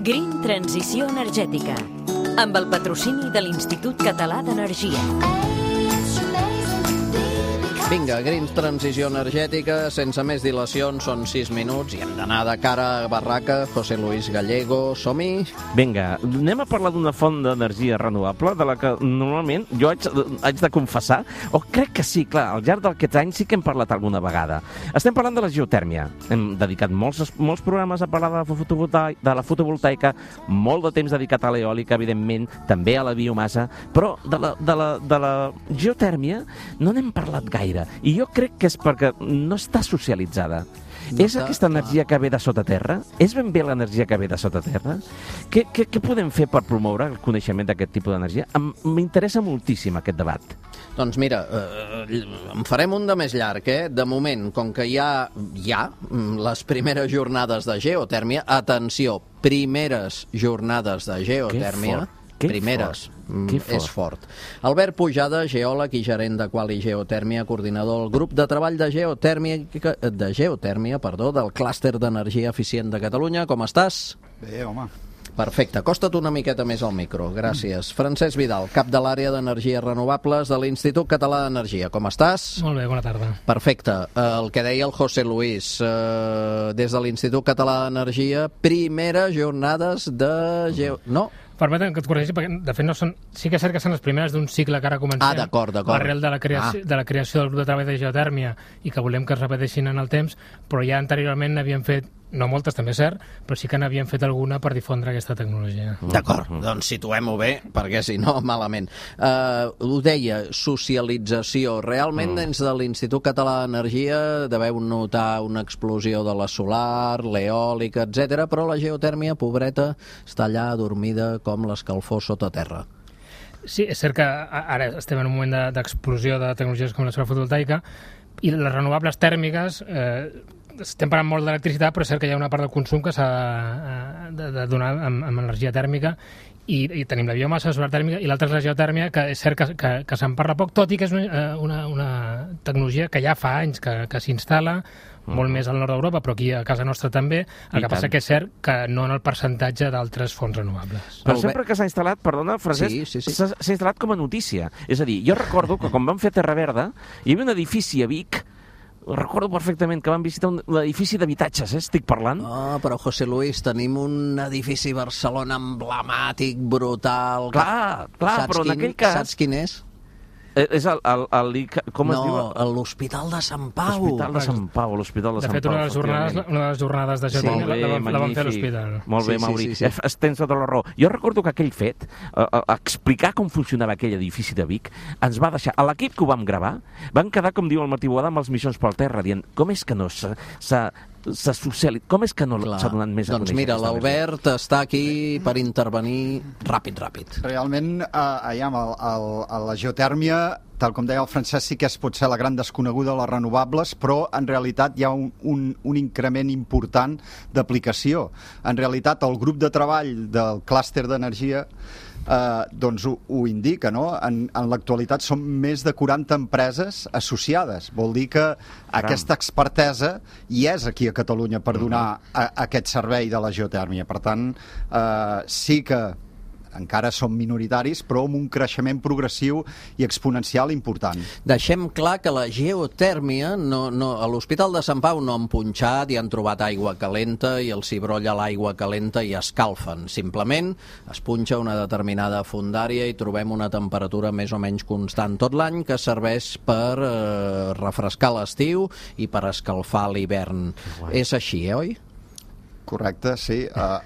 Green Transició Energètica, amb el patrocini de l'Institut Català d'Energia. Vinga, Green Transició Energètica, sense més dilacions, són 6 minuts i hem d'anar de cara a barraca. José Luis Gallego, som-hi? Vinga, anem a parlar d'una font d'energia renovable de la que normalment jo haig de confessar, o crec que sí, clar, al llarg d'aquests anys sí que hem parlat alguna vegada. Estem parlant de la geotèrmia. Hem dedicat molts programes a parlar de la fotovoltaica, molt de temps dedicat a l'eòlica, evidentment, també a la biomassa, però de la geotèrmia no n'hem parlat gaire. I jo crec que és perquè no està socialitzada. És aquesta energia que ve de sota terra? És ben bé l'energia que ve de sota terra? Què podem fer per promoure el coneixement d'aquest tipus d'energia? M'interessa moltíssim aquest debat. Doncs mira, en farem un de més llarg, eh? De moment, com que hi ha les primeres jornades de geotèrmia, atenció, primeres jornades de geotèrmia, primeres, és fort. Albert Pujada, geòleg i gerent de Quali Geotèrmia, coordinador del grup de treball de geotèrmia, del clúster d'energia eficient de Catalunya. Com estàs? Bé, home. Perfecte. Acosta't una miqueta més al micro. Gràcies. Francesc Vidal, cap de l'àrea d'energies renovables de l'Institut Català d'Energia. Com estás? Molt bé, bona tarda. Perfecte. El que deia el José Luis, des de l'Institut Català d'Energia, primeres jornades de No? Permetem que et corregeixi, perquè de fet no són... Sí que és cert que són les primeres d'un cicle que ara comencem. D'acord. Arrel de la creació del grup de treball de geotèrmia i que volem que es repeteixin en el temps, però ja anteriorment n'havien fet, no moltes també és cert, però sí que n'havien fet alguna per difondre aquesta tecnologia. D'acord, doncs situem-ho bé, perquè si no, malament. Ho deia, socialització. Realment, dins de l'Institut Català d'Energia deveu notar una explosió de la solar, l'eòlica, etc. Però la geotèrmia, pobreta, està allà adormida com l'escalfor sota terra. Sí, és cert que ara estem en un moment d'explosió de tecnologies com la solar fotovoltaica i les renovables tèrmiques estem parlant molt d'electricitat, però és cert que hi ha una part del consum que s'ha de donar amb energia tèrmica i tenim la biomassa, la solar tèrmica i l'altra és la geotèrmia, que és cert que se'n parla poc, tot i que és una tecnologia que ja fa anys que s'instal·la, molt més al nord d'Europa, però aquí a casa nostra també. El que passa que és cert que no en el percentatge d'altres fonts renovables. Però sempre que s'ha instal·lat, perdona, Francesc, s'ha instal·lat com a notícia. És a dir, jo recordo que quan vam fer Terra Verda, hi havia un edifici a Vic, recordo perfectament que vam visitar un edifici d'habitatges, estic parlant. Però José Luis, tenim un edifici a Barcelona emblemàtic, brutal... Clar, però en aquell cas... Saps quin és? És com es diu? No, l'Hospital de Sant Pau. L'Hospital de Sant Pau, l'Hospital de Sant Pau. De fet, una de les jornades de geotèrmia la vam fer a l'hospital. Molt bé, Mauri. Tens tota la raó. Jo recordo que aquell fet, explicar com funcionava aquell edifici de Vic, ens va deixar... A l'equip que ho vam gravar, van quedar, com diu el Martí Boada, amb els missions pel terra, dient com és que no com és que no s'ha donat més a conèixer? Doncs mira, l'Albert està aquí per intervenir ràpid. Realment, la geotèrmia, tal com deia el Francesc, sí que pot ser la gran desconeguda de les renovables, però en realitat hi ha un increment important d'aplicació. En realitat, el grup de treball del clúster d'energia doncs ho indica, no? En l'actualitat són més de 40 empreses associades. Vol dir que aquesta expertesa hi és aquí a Catalunya per donar aquest servei de la geotèrmia. Per tant, sí que encara som minoritaris, però amb un creixement progressiu i exponencial important. Deixem clar que la geotèrmia, a l'Hospital de Sant Pau no han punxat i han trobat aigua calenta i els hi brolla l'aigua calenta i escalfen. Simplement es punxa una determinada fondària i trobem una temperatura més o menys constant tot l'any que serveix per refrescar l'estiu i per escalfar l'hivern. És així, oi? Correcte, sí.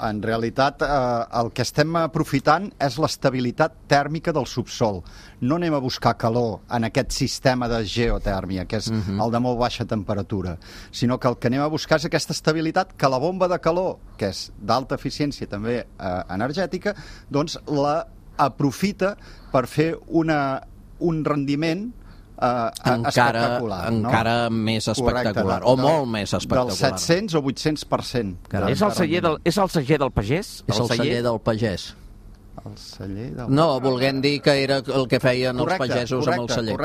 En realitat, el que estem aprofitant és l'estabilitat tèrmica del subsol. No anem a buscar calor en aquest sistema de geotèrmia, que és el de molt baixa temperatura, sinó que el que anem a buscar és aquesta estabilitat que la bomba de calor, que és d'alta eficiència també energètica, doncs la aprofita per fer un rendiment espectacular. Encara més espectacular. O molt més espectacular. Del 700 o 800%. És el celler del pagès? És el celler del pagès. El celler del... No, volguem dir que era el que feien els pagesos amb el celler.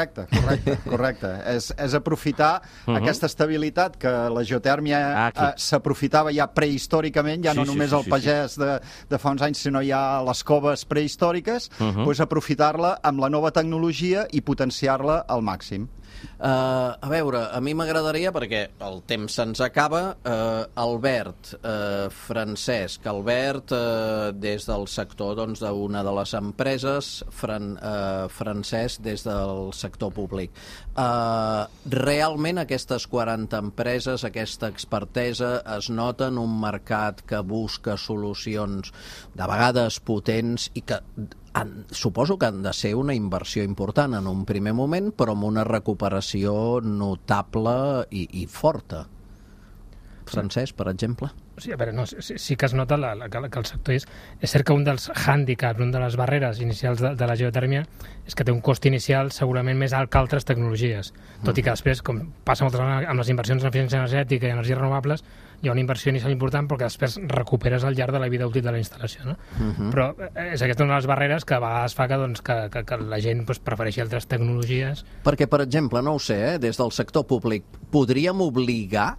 Correcte. És aprofitar aquesta estabilitat que la geotèrmia s'aprofitava ja prehistòricament, ja no només el pagès de fa uns anys, sinó ja les coves prehistòriques, doncs aprofitar-la amb la nova tecnologia i potenciar-la al màxim. A veure, a mi m'agradaria, perquè el temps se'ns acaba, Albert, Francesc, Albert des del sector d'una de les empreses, Francesc des del sector públic. Realment aquestes 40 empreses, aquesta expertesa, es nota en un mercat que busca solucions de vegades potents i que suposo que han de ser una inversió important en un primer moment, però amb una recuperació notable i forta. Francesc, per exemple? Sí, a veure, no, sí que es nota que el sector és cert que un dels hàndicaps, una de les barreres inicials de la geotèrmia és que té un cost inicial segurament més alt que altres tecnologies, tot i que després, com passa moltes vegades amb les inversions en eficiència energètica i energies renovables, hi ha una inversió inicial important perquè després recuperes al llarg de la vida útil de la instal·lació, no? Però és aquesta una de les barreres que a vegades fa que la gent prefereixi altres tecnologies. Perquè, per exemple, no ho sé, des del sector públic podríem obligar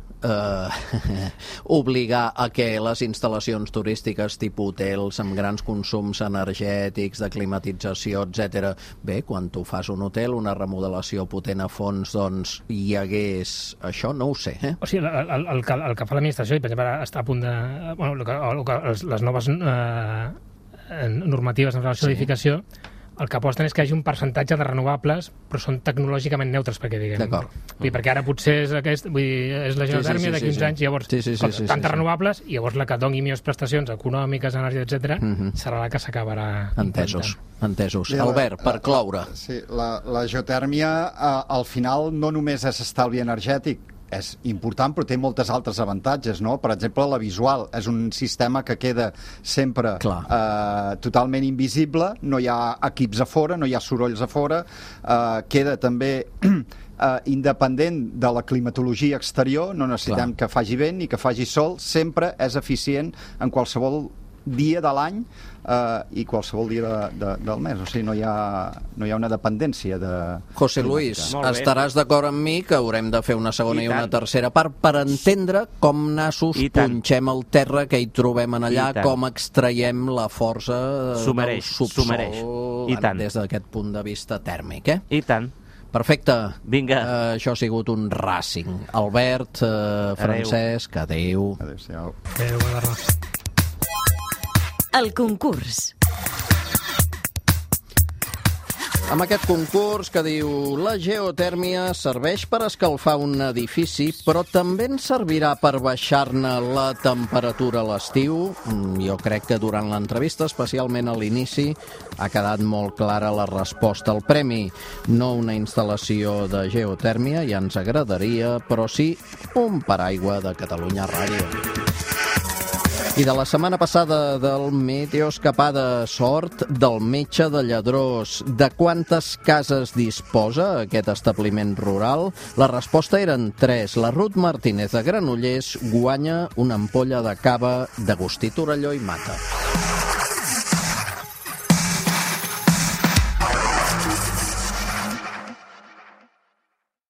a que les instal·lacions turístiques tipus hotels amb grans consums energètics, de climatització, etc. Bé, quan tu fas un hotel, una remodelació potent a fons, doncs hi hagués això, no ho sé. O sigui, el que fa l'administració, i per exemple ara està a punt de... les noves normatives en relació a l'edificació, el que aposten és que hi hagi un percentatge de renovables, però són tecnològicament neutres, perquè diguem. D'acord. Perquè ara potser és és la geotèrmia de 15 anys, llavors tantes renovables, i llavors la que doni millors prestacions econòmiques, energia, etc., serà la que s'acabarà. Entesos. Albert, per cloure. Sí, la geotèrmia al final no només és estalvi energètic, és important, però té moltes altres avantatges, no? Per exemple, la visual és un sistema que queda sempre totalment invisible, no hi ha equips a fora, no hi ha sorolls a fora, queda també independent de la climatologia exterior, no necessitem que faci vent ni que faci sol, sempre és eficient en qualsevol dia de l'any i qualsevol dia del mes, o sigui, no hi ha una dependència de... José Luis, estaràs d'acord amb mi que haurem de fer una segona i una tercera part per entendre com nassos punxem el terra que hi trobem en allà, com extraiem la força del subsol des d'aquest punt de vista tèrmic, I tant. Perfecte. Vinga. Això ha sigut un Racing. Albert, Francesc, adéu. Adéu-siau. Adéu, bona tarda. El concurs. Amb aquest concurs que diu la geotèrmia serveix per escalfar un edifici, però també ens servirà per baixar-ne la temperatura a l'estiu. Jo crec que durant l'entrevista, especialment a l'inici, ha quedat molt clara la resposta al premi. No una instal·lació de geotèrmia, ja ens agradaria, però sí un paraigua de Catalunya Ràdio. I de la setmana passada del Meteoscapada, sort del metge de Lladrós. De quantes cases disposa aquest establiment rural? La resposta eren 3. La Ruth Martínez de Granollers guanya una ampolla de cava d'Agustí Torelló i Mata.